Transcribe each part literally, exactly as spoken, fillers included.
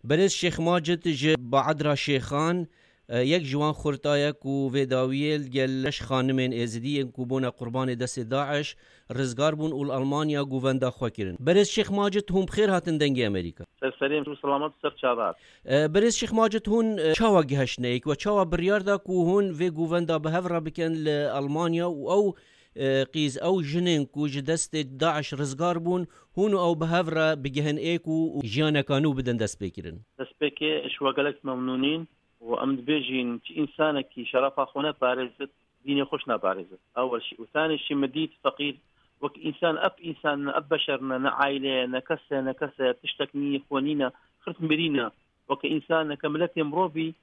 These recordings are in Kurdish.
Berêz Şêx Macid ji Baedra Şêxan, e, yek ji wan xurta ye ku vê dawiyê li gel şeş xanimên êzidî yên ku bûne qurbanê destê DAIŞ rizgar bûn û li Almanya govenda xwe kirin. Berêz Şêx Macid, hûn bi xêr hatin Dengê Amerîka. Ser serê min, selamet ser çavat. E, Berêz Şêx Macid, hûn, e, çawa gihiştine êk we çawa biryar da ku hûn vê govenda bi hev re bikin li Almanya û ew, e, qîz, ew jinên ku ji destê DAIŞ rizgar bûn, hûn û ew bi hev re bigihin êk û, û jiyaneka nû bidin destpêkirin? Destpêkê ji we gelek memnûnîn û em dibêjin, çi însanekî şerefa xwe neparêzit, dînê xwe jî naparêzit. Ewel şî. Û tanê şî min dît feqîr wek însan, ev însan ne, ev beşer ne, ne aile ye, ne kes e, ne kes e, tiştek nî, xwe nîne, xirt mirîne. Weke însan, neke miletê mirovî,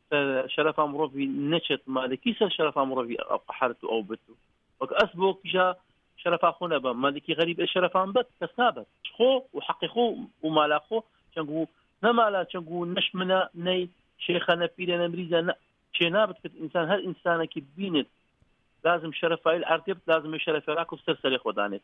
ser şerefa mirovî neçet, ma de kî ser şerefa mirovî ew qeherit û ew bit û wek ez bo kîja şerefa xwe nebim, ma de kî xerîb ê şerefa min bet, kes nabet. Ji xwe û heqê xwe û mala xwe, çend ku ne mala, çend ku ne ji min e, ney şêxe, ne pîre, ne mirîze, ne çê nabit, ki însan, her însanekî bînit, lazim şerefa wî li erdê bit, lazim wê şerefê rakû ser serê xwe danêt.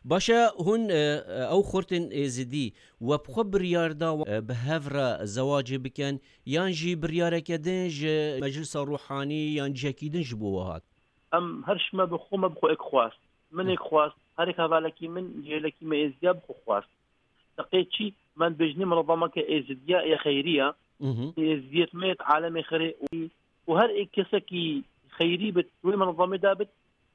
Baş e, hûn, e, e, ew xortên êzidî we bi xwe biryar da, e, bi hev re zewacê bikin, yan jî biryareke din ji meclisa ruhanî yan cihekî din ji bo we hat? Em her ji me bi xwe, me bi xwe êk xwest. Min êk xwest, her êk hevalekî min, cihêlekî me êzidiya bi xwe xwest. Deqê çî, me dibêjinê minezameke êzidiya yê xeyrî ye. Mhm. Êzidiyê me yê alemê xirê û, û her ê kesekî xeyrî bit, wê minezamê de bit,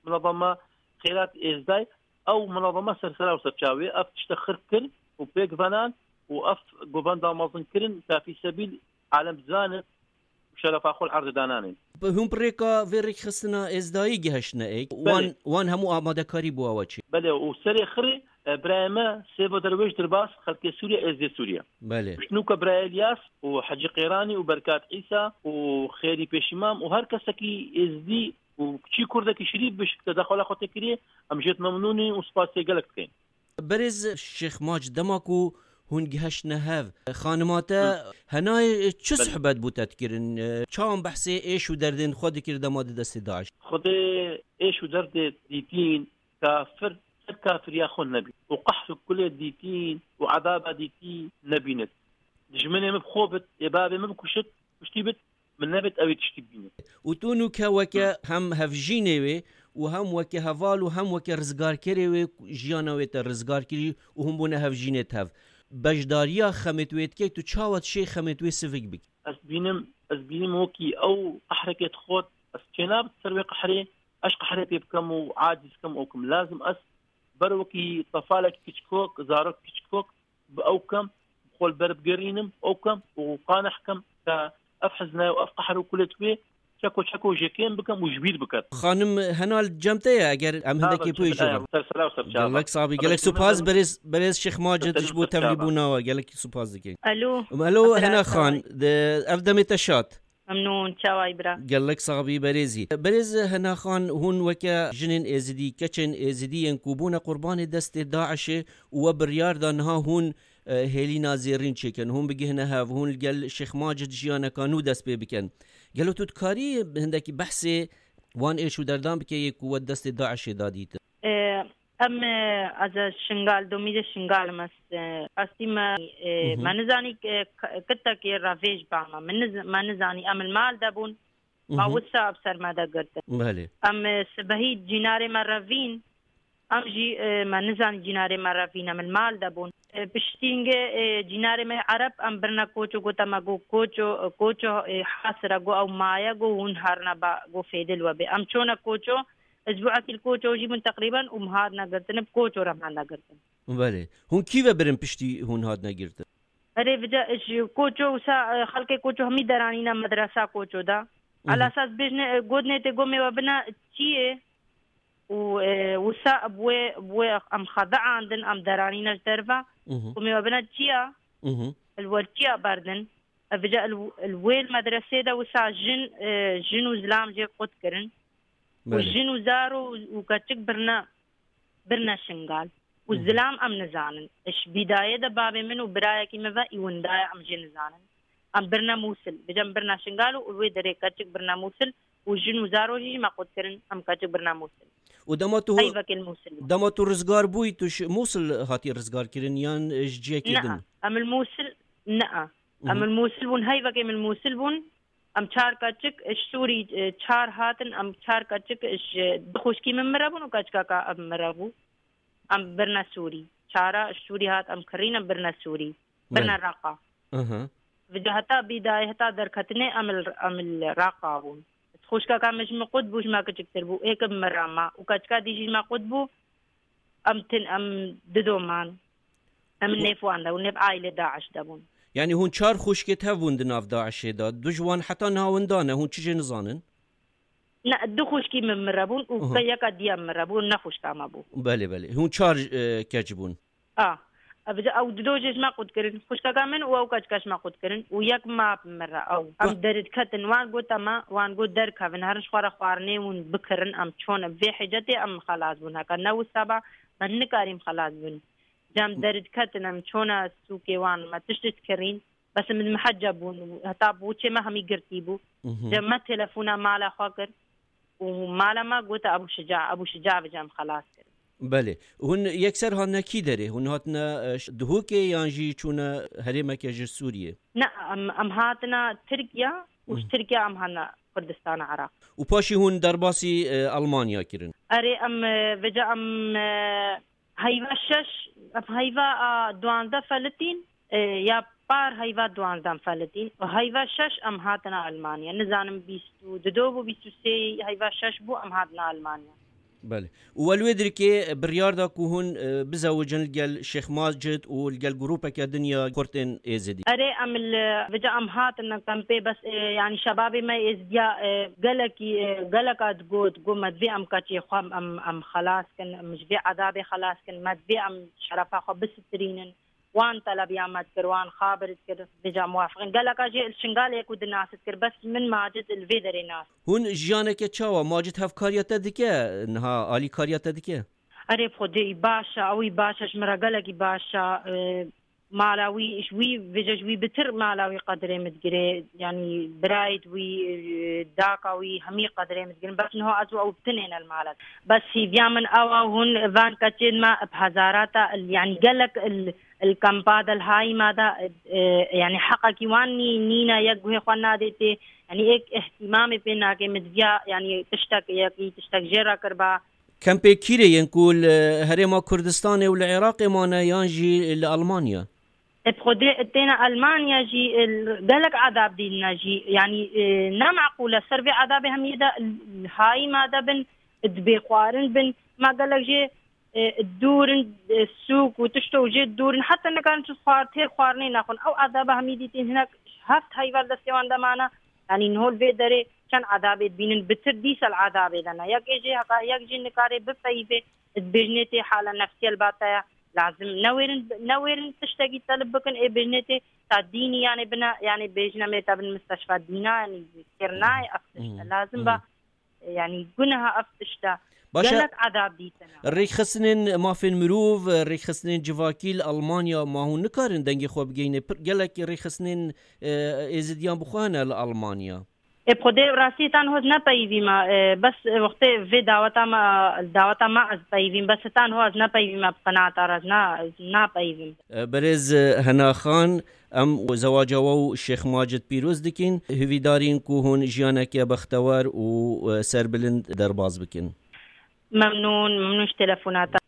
minezama Xeyrat Êzdayî, ew minezama ser sera û ser çavê, ev tişte xir kir û pêk venan û ev govenda mezin kirin, ka fî sebîl alem zanin û şerefa xwe li erdê dananên. Hûn bi rêka vê rêkxistina Êzdayî gihiştine êk? Belê. Wan, wan hemû amadekarî bo we çi? Belê, û serê xirê, e, birayê me Sêvo Derwêş Dirbas, xelkê Sûriye, Êzdê Sûriye. Belê. Nûka birayê Elyas û Hecî Qêranî û Berkat Îsa û Xêrî Pêşîmam û her kesekî Êzdî û çî kurdekî şirîf bişkte daxwala xwe tê kiriye, em jêt memnûn in û spasê gelek dikin. Berêz Şêx Mac, dema ku hûn gihiştine hev, xanima te Hı. henayê çi Belê. Suhbet bû te dikirin? Çawan behsê êş û derdên xwe dikir dema di destê DAIŞ? Xwedê êş û derdê dîtîn kafir ser kafiriya xwe nebî û qehr û kulê dîtîn û ezaba dîtî nebînit. Dijminê min bi xwe bit, ê bavê min bikuşit, kuştî bit, min nebêt ew ê tiştî bibîne. Û tu nûke weke Hı. hem hevjînê wê û hem weke heval û hem weke rizgarkerê wê jiyana wê te rizgar kirî û hûn bûne hevjînê tev. Beşdariya xemêt wê dikey, tu çawa dişê xemêt wê sivik bikî? Ez bînim, ez bînim wekî ew qehrekê dixwet, ez çênabit ser wê qehrê, ez qehrê pê bikem û aciz bikem û kim. Lazim ez ber wekî tefalek kiçkok, zarok kiçkok, bi ew kem, xwe li ber bigerînim, ew kem û qaneh kem ke ev hizne û ev qehr û kulêt wê çeko çeko jêkêm bikem û ji bîr biket. Xanim Henal cem te ye, eger em Ha, hindekî bem, pê cem jî te ye. Ser sera û ser çava. Gelek sax bî, gelek Xanim supas, Henal. Berêz, berêz Şêx Macid Ser ji bo ser çava. Tevlîbûna we, gelek supas dikin. Alo. Alo, Hena Xan, de, ev demê te şad. Memnûn, çawa yî bira? Gelek sax bî berêzî. Berêz Hena Xan, hûn weke jinên êzidî, keçên êzidî yên ku bûne qurbanê destê DAIŞê û we biryar da niha hûn, e, hêlîna zêrîn çêkin, hûn bigihine hev, hûn li gel Şêx Macid jiyaneka nû dest pê bikin. Gelo tu dikarî hindekî behsê wan êş û derdan bike yê ku we destê DAIŞê da dîtin? E, Em, e, ez e Şingal, domî de Şingal me, e, qestî me, e, Mhm. me nizanî, e, k-, kitekê revêj ba me. Me niz-, me nizanî em li mal de bûn. Ma Mhm. wisa bi ser me de girtin. Belê. Em, e, sibehî cînarê me revîn, em jî, e, me nizanî cînarê me revîn, em li mal de bûn. E, piştîngê, e, cînarê me Ereb, em birine koço, gote me, go koço, e, koço, e, hasire, go ew maye, go hûn herine ba, go fêdil we bê. Em çone koço, Isbuekî li koço jî bûn teqrîben û min hat negirtin, bi koço re min hat negirtin. Belê. Hûn kî ve birin piştî hûn hat negirtin? Erê, vêca ji koço wisa, e, xelkê koço hemî deranîne medresa koço de. Mhm. Elasa ez bêjne, e, gotnê tê gomê we bine çiyê û, e, wisa bi wê, bi wê em xedeandin, em deranîne ji derve. Mhm. Gomê we bine çiya? Mhm. Li wer çiya berdin? E, vêca li, li wê li medresê de wisa jin, e, jin û zilam jê qut kirin. Û Belê. jin û zaro û, û keçik birine, birine Şingal. Û Mhm. zilam em nizanin. Ji bîdayê de bavê min û birayekî min ve î winda ye, em jê nizanin. Em birine Mûsil. Bêje em birine Şingal û wê derê keçik birine Mûsil û jin û zaro jî me qut kirin, em keçik birine Mûsil. Û dema tu, Heyvekê li Mûsil bû. dema tu rizgar bûyî, tu ji Mûsil hatî rizgar kirin yan ji cihekî Ne, din? em li Mûsil, ne. Em li Mûsil bûn, heyvekê min Mûsil bûn. Em çar keçik ji Sûrî, e, çar hatin, em çar keçik ji du xwişkî min mire bûn û keçikeka em mire bû. Em birine Sûrî. Çara ji Sûrî hat, em kirîn, em birine Sûrî. Birine Reqa. Aha. Vêca heta bîdayê, heta derketinê em li, em li Reqa bûn. Xwişkeka min ji min qut bû, ji me kiçiktir bû. Êk bi min re ma. Û keçika dî jî ji me qut bû. Em tin, em dido man. Em nêv wan de bûn, nêv aîlê DAIŞ de bûn. Yanî hûn çar xwişkêt hev bûn di nav DAIŞê de. Du ji wan heta niha winda ne, hûn çi jê nizanin? Ne, du xwişkî min mire bûn û Aha. ke yeka diya min mire bû, ne xwişka me bû. Belê, belê. Hûn çar, e, keç bûn. A. Ev, ew dido jê ji me qut kirin. Xwişkeka min û ew keçika ji me qut kirin. Û yek map min re ew. Em Ba- derî diketin. Wan got, ema, wan got derkevin. Herin ji xwe re xwarinê hûn bikirin. Em çon, vê hicetê em xelas bûn. Heke ne wisa ba, me nikarîm xelas bûn. Cem derî diketin, em çona sûkê wan, me tişt dikirîn. Bes min miheca bûn. Heta bûçê me hemî girtî bû. Mhm. Cem me telefona mala xwe kir. Û mala me gote Ebû Şica, Ebû Şica bi cem xelas kir. Belê. Hûn yekser hatine kî derê? Hûn hatine, e, ş-, Duhokê yan jî çûne herêmeke ji Sûriyê? Ne, em, em hatine Tirkiye û ji Hı. Tirkiye em hatine Kurdistana Iraq. Û paşî hûn derbasî, e, Almanya kirin? Erê, em, e, vêca em, e, heyva şeş, em heyva, a, duwazdeh felitîn, e, ya par heyva duwazdeh felitîn. Heyva şeş em hatine Almanya. Nizanim bîst û du bû, bîst û sê heyva şeş bû, em hatine Almanya. Belê. Û we li wê dirkê biryar da ku hûn, e, bizewicin li gel Şêx Macid û li gel grûpeke din ya Kurtên Êzidî? Erê, em li vêca em hatin kempê, bes, e, yanî şebabê me Êzidiya, e, gelekî, e, geleka digot, got me divê em keçê xwe em, em xelas kin, em ji vê edabê xelas kin, me divê em şerefa xwe bisitirînin. Wan telebiya me dikir, wan xabir dikir, vêca muwafiqin. Geleka jê li Şingalê ku dinasit kir, bes min Macid li vê derê nas. Hûn jiyaneke çawa? Macid hevkariya te dike? Niha alîkariya te dike? Erê, bi Xwedê wî baş e, ew wî baş e, ji min re gelekî baş e. E, mala wî, ji wî, vêca ji wî bitir mala wî qedrê min digire. Yanî birayê wî, e, daka wî, hemî qedrê min digirin. Bes niha ez û ew bi tinê ne li mal e. Bes hêviya min ew e, hûn van keçên me bi hezarata, yanî gelek il, il kampa de, li Hayîma de, e, yanî heqekî wan nî-, nîne, yek guhê xwe nadê tê. Yanî êk îhtîmamê pê nake, min diviya, yanî tiştek, yekî tiştek jê re kirba. Kempê kîrê yên ku li Herêma Kurdistanê û li Iraqê mane yan jî li Almanya? E, bi Xwedê têne Almanya jî, e, gelek edab dîtine jî. Yanî, e, ne meqûl e. Ser vê edabê hemiyê de li Hayîma de bin, dibê xwarin bin. Ma gelek jê, e, dûr in, e, sûk û tişto jê dûr in. Heta nikarin çi xwar-, têr xwarinê nexwin. Ew edaba hemî dîtin hinek heft heyva li destê wan de mane. Yanî niho li vê derê çend edabê dibînin, bitir dîsa li edabê de ne. Yek ê jê heta, yek jî nikare bipeyivê, dibêjinê tê hala nefsiyel ba te ye. Lazim newêrin, newêrin tiştekî telib bikin, ê bêjinê tê ta dînî, yanî bine, yanî bêjine mê te bin misteşfa dîna, yanî kir nayê ev tişt e. Lazim ba, yanî guneha ev tişt e. Baş e. Gelek edab dîtine. Rêkxistinên mafên mirov, rêkxistinên civakî li Almanya ma hûn nikarin dengê xwe bigeyne? Pir gelek rêkxistinên, e, êzidiyan bi xwe hene li Almanya. Ê, bi Xwedê rastî tan hoz nepeyivî me, e, bes, e, wextê vê daweta me, daweta me ez peyivîm, bes tan hoz nepeyivî me bi qenata re, ez na, ez napeyivîm. E, berêz, e, Hena Xan, em zewaca we û Şêx Macid pîroz dikin. Hivîdarîn ku hûn jiyaneke bextewer û, e, serbilind derbas bikin. Memnûn, memnûn ji telefonata.